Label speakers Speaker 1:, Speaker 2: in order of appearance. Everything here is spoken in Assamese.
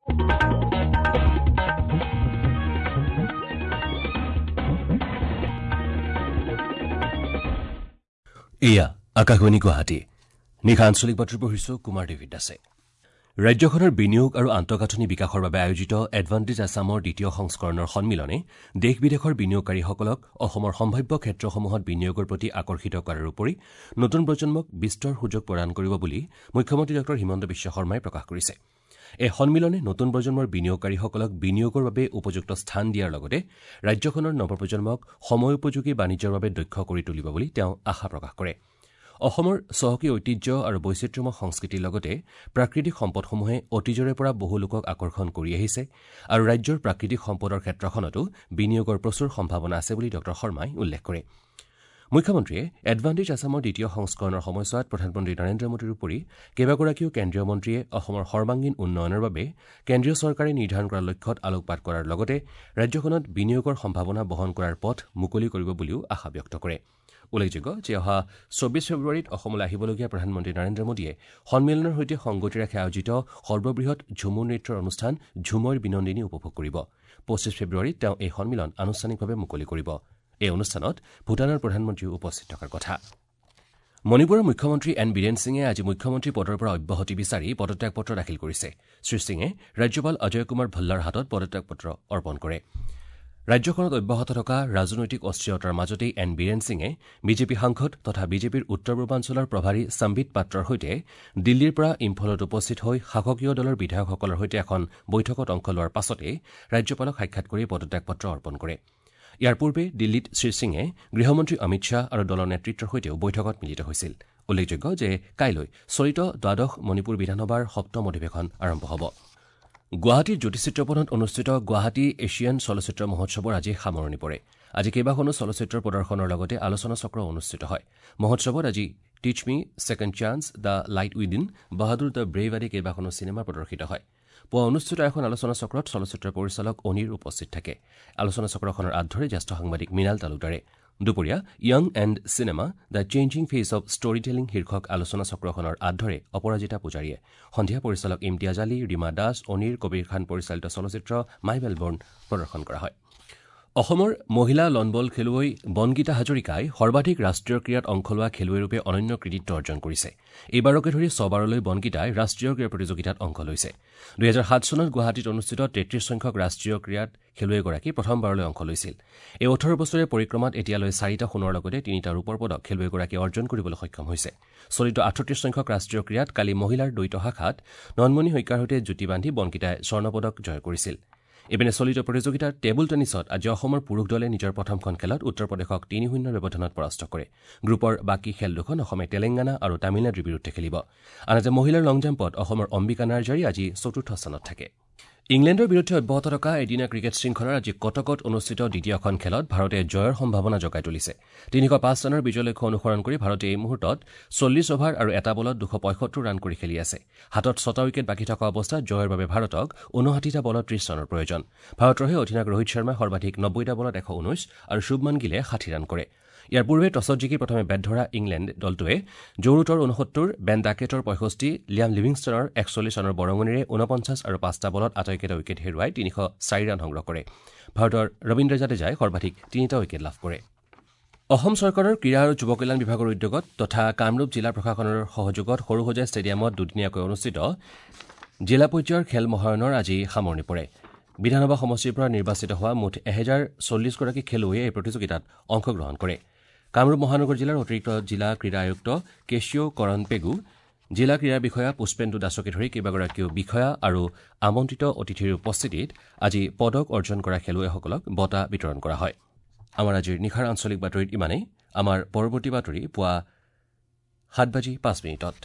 Speaker 1: এয়া আকাশবাণী গুৱাহাটী। নিশা আঞ্চলিক বাতৰি পঢ়িছো কুমাৰ দেৱী দাসে। ৰাজ্যখনৰ বিনিয়োগ আৰু আন্তঃগাঁথনি বিকাশৰ বাবে আয়োজিত এডভান্টেজ আছামৰ দ্বিতীয় সংস্কৰণৰ সন্মিলনে দেশ বিদেশৰ বিনিয়োগকাৰীসকলক অসমৰ সম্ভাৱ্য ক্ষেত্ৰসমূহত বিনিয়োগৰ প্ৰতি আকৰ্ষিত কৰাৰ উপৰি নতুন প্ৰজন্মক বিস্তৰ সুযোগ প্ৰদান কৰিব বুলি মুখ্যমন্ত্ৰী ডঃ হিমন্ত বিশ্ব শৰ্মাই প্ৰকাশ কৰিছে। এই সন্মিলনে নতুন প্ৰজন্মৰ বিনিয়োগকাৰীসকলক বিনিয়োগৰ বাবে উপযুক্ত স্থান দিয়াৰ লগতে ৰাজ্যখনৰ নৱপ্ৰজন্মক সময়োপযোগী বাণিজ্যৰ বাবে দক্ষ কৰি তুলিব বুলি তেওঁ আশা প্ৰকাশ কৰে। অসমৰ চহকী ঐতিহ্য আৰু বৈচিত্ৰ্যময় সংস্কৃতিৰ লগতে প্ৰাকৃতিক সম্পদসমূহে অতীজৰে পৰা বহু লোকক আকৰ্ষণ কৰি আহিছে আৰু ৰাজ্যৰ প্ৰাকৃতিক সম্পদৰ ক্ষেত্ৰখনতো বিনিয়োগৰ প্ৰচুৰ সম্ভাৱনা আছে বুলি ডঃ শৰ্মাই উল্লেখ কৰে। মুখ্যমন্ত্ৰীয়ে এডভান্টেজ আছামৰ দ্বিতীয় সংস্কৰণৰ সময়ছোৱাত প্ৰধানমন্ত্ৰী নৰেন্দ্ৰ মোদীৰ উপৰি কেইবাগৰাকীও কেন্দ্ৰীয় মন্ত্ৰীয়ে অসমৰ সৰ্বাংগীন উন্নয়নৰ বাবে কেন্দ্ৰীয় চৰকাৰে নিৰ্ধাৰণ কৰা লক্ষ্যত আলোকপাত কৰাৰ লগতে ৰাজ্যখনত বিনিয়োগৰ সম্ভাৱনা বহন কৰাৰ পথ মুকলি কৰিব বুলিও আশা ব্যক্ত কৰে। উল্লেখযোগ্য যে অহা ২৪ ফেব্ৰুৱাৰীত অসমলৈ আহিবলগীয়া প্ৰধানমন্ত্ৰী নৰেন্দ্ৰ মোদীয়ে সন্মিলনৰ সৈতে সংগতি ৰাখি আয়োজিত সৰ্ববৃহৎ ঝুমুৰ নৃত্যৰ অনুষ্ঠান ঝুমইৰ বিনন্দিনী উপভোগ কৰিব। ২৫ ফেব্ৰুৱাৰীত তেওঁ এই সন্মিলন আনুষ্ঠানিকভাৱে মুকলি কৰিব। এই অনুষ্ঠানত ভূটানৰ প্ৰধানমন্ত্ৰীও উপস্থিত থকাৰ কথা। মণিপুৰৰ মুখ্যমন্ত্ৰী এন বীৰেন সিঙে আজি মুখ্যমন্ত্ৰী পদৰ পৰা অব্যাহতি বিচাৰি পদত্যাগ পত্ৰ দাখিল কৰিছে। শ্ৰীসিঙে ৰাজ্যপাল অজয় কুমাৰ ভল্লাৰ হাতত পদত্যাগ পত্ৰ অৰ্পণ কৰে। ৰাজ্যখনত অব্যাহত থকা ৰাজনৈতিক অস্থিৰতাৰ মাজতেই এন বীৰেন সিঙে বিজেপি সাংসদ তথা বিজেপিৰ উত্তৰ পূৰ্বাঞ্চলৰ প্ৰভাৰী সম্বিত পাত্ৰৰ সৈতে দিল্লীৰ পৰা ইম্ফলত উপস্থিত হৈ শাসকীয় দলৰ বিধায়কসকলৰ সৈতে এখন বৈঠকত অংশ লোৱাৰ পাছতেই ৰাজ্যপালক সাক্ষাৎ কৰি পদত্যাগ পত্ৰ অৰ্পণ কৰে। ইয়াৰ পূৰ্বে দিল্লীত শ্ৰীসিঙে গৃহমন্ত্ৰী অমিত শ্বাহ আৰু দলৰ নেতৃত্বৰ সৈতেও বৈঠকত মিলিত হৈছিল। উল্লেখযোগ্য যে কাইলৈ চলিত দ্বাদশ মণিপুৰ বিধানসভাৰ সপ্তম অধিৱেশন আৰম্ভ হ'ব। গুৱাহাটীৰ জ্যোতি চিত্ৰবনত অনুষ্ঠিত গুৱাহাটী এছিয়ান চলচ্চিত্ৰ মহোৎসৱৰ আজি সামৰণি পৰে। আজি কেইবাখনো চলচ্চিত্ৰৰ প্ৰদৰ্শনৰ লগতে আলোচনা চক্ৰ অনুষ্ঠিত হয়। মহোৎসৱত আজি teach me, second chance, the light within, Bahadur the brave আদি কেইবাখনো চিনেমা প্ৰদৰ্শিত হয়। পুৱা অনুষ্ঠিত এখন আলোচনা চক্ৰত চলচ্চিত্ৰ পৰিচালক অনিৰ উপস্থিত থাকে। আলোচনা চক্ৰখনৰ আঁত ধৰে জ্যেষ্ঠ সাংবাদিক মৃণাল তালুকদাৰে। দুপৰীয়া young and cinema the changing face of story telling শীৰ্ষক আলোচনা চক্ৰখনৰ আঁত ধৰে অপৰাজিতা পূজাৰীয়ে। সন্ধিয়া পৰিচালক ইমতিয়াজ আলী, ৰীমা দাস, অনিৰ কবিৰ খান পৰিচালিত চলচ্চিত্ৰ মাই মেলবৰ্ণ প্ৰদৰ্শন কৰা হয়। অসমৰ মহিলা লনবল খেলুৱৈ বনগীতা হাজৰিকাই সৰ্বাধিক ৰাষ্ট্ৰীয় ক্ৰীড়াত অংশ লোৱা খেলুৱৈৰূপে অনন্য কৃতিত্ব অৰ্জন কৰিছে। এইবাৰকে ধৰি ছবাৰলৈ বনগীতাই ৰাষ্ট্ৰীয় ক্ৰীড়া প্ৰতিযোগিতাত অংশ লৈছে। ২০০৭ চনত গুৱাহাটীত অনুষ্ঠিত ৩৩ সংখ্যক ৰাষ্ট্ৰীয় ক্ৰীড়াত খেলুৱৈগৰাকী প্ৰথমবাৰলৈ অংশ লৈছিল। এই ১৮ বছৰীয়া পৰিক্ৰমাত এতিয়ালৈ ৪টা সোণৰ লগতে ৩টা ৰূপৰ পদক খেলুৱৈগৰাকীয়ে অৰ্জন কৰিবলৈ সক্ষম হৈছে। চলিত ৩৮ সংখ্যক ৰাষ্ট্ৰীয় ক্ৰীড়াত কালি মহিলাৰ দ্বৈত শাখাত ননমণি শইকীয়াৰ সৈতে যুটি বান্ধি বনগীতাই স্বৰ্ণপদক জয় কৰিছিল। ইপিনে চলিত প্ৰতিযোগিতাৰ টেবুল টেনিছত আজি অসমৰ পুৰুষ দলে নিজৰ প্ৰথমখন খেলত উত্তৰ প্ৰদেশক ৩-০ ব্যৱধানত পৰাস্ত কৰে। গ্ৰুপৰ বাকী খেল দুখন অসমে তেলেংগানা আৰু তামিলনাডুৰ বিৰুদ্ধে খেলিব। আনহাতে মহিলাৰ লং জাম্পত অসমৰ অম্বিকা নাৰ্জাৰী আজি চতুৰ্থ স্থানত থাকে। ইংলেণ্ডৰ বিৰুদ্ধে অব্যাহত থকা এদিনীয়া ক্ৰিকেট শৃংখলাৰ আজি কটকত অনুষ্ঠিত দ্বিতীয়খন খেলত ভাৰতে জয়ৰ সম্ভাৱনা জগাই তুলিছে। ৩০৫ ৰানৰ বিজয় লক্ষ্য অনুসৰণ কৰি ভাৰতে এই মুহূৰ্তত ৪০ অভাৰ আৰু এটা বলত ২৭৫ ৰান কৰি খেলি আছে। হাতত ৬টা উইকেট বাকী থকা অৱস্থাত জয়ৰ বাবে ভাৰতক ৫৯টা বলত ৩০ ৰানৰ প্ৰয়োজন। ভাৰতৰ হৈ অধিনায়ক ৰোহিত শৰ্মাই সৰ্বাধিক ৯০টা বলত ১১৯ আৰু শুভমান গিলে ৬০ ৰান কৰে। ইয়াৰ পূৰ্বে টছত জিকি প্ৰথমে বেট ধৰা ইংলেণ্ড দলটোৱে জো ৰুটৰ ৬৯, বেন ডাকেটৰ ৬৫, লিয়াম লিভিংষ্টনৰ ৪১ ৰানৰ বৰঙণিৰে ৪৯ আৰু ৫টা বলত আটাইকেইটা উইকেট হেৰুৱাই ৩০৪ ৰান সংগ্ৰহ কৰে। ভাৰতৰ ৰবীন্দ্ৰ জাদেজাই সৰ্বাধিক ৩টা উইকেট লাভ কৰে। অসম চৰকাৰৰ ক্ৰীড়া আৰু যুৱ কল্যাণ বিভাগৰ উদ্যোগত তথা কামৰূপ জিলা প্ৰশাসনৰ সহযোগত সৰুসজাই ষ্টেডিয়ামত দুদিনীয়াকৈ অনুষ্ঠিত জিলা পৰ্যায়ৰ খেল মহাৰণৰ আজি সামৰণি পৰে। বিধানসভা সমষ্টিৰ পৰা নিৰ্বাচিত হোৱা মুঠ ১০৪০ গৰাকী খেলুৱৈয়ে এই প্ৰতিযোগিতাত অংশগ্ৰহণ কৰে। কামৰূপ মহানগৰ জিলাৰ অতিৰিক্ত জিলা ক্ৰীড়া আয়ুক্ত কেশিঅ কৰণ পেগু, জিলা ক্ৰীড়া বিষয়া পুষ্পেন্দু দাসকে ধৰি কেইবাগৰাকীও বিষয়া আৰু আমন্ত্ৰিত অতিথিৰ উপস্থিতিত আজি পদক অৰ্জন কৰা খেলুৱৈসকলক বঁটা বিতৰণ কৰা হয়। আমাৰ আজিৰ নিশাৰ আঞ্চলিক বাতৰিত ইমানেই। আমাৰ পৰৱৰ্তী বাতৰি পুৱা ৭:০৫।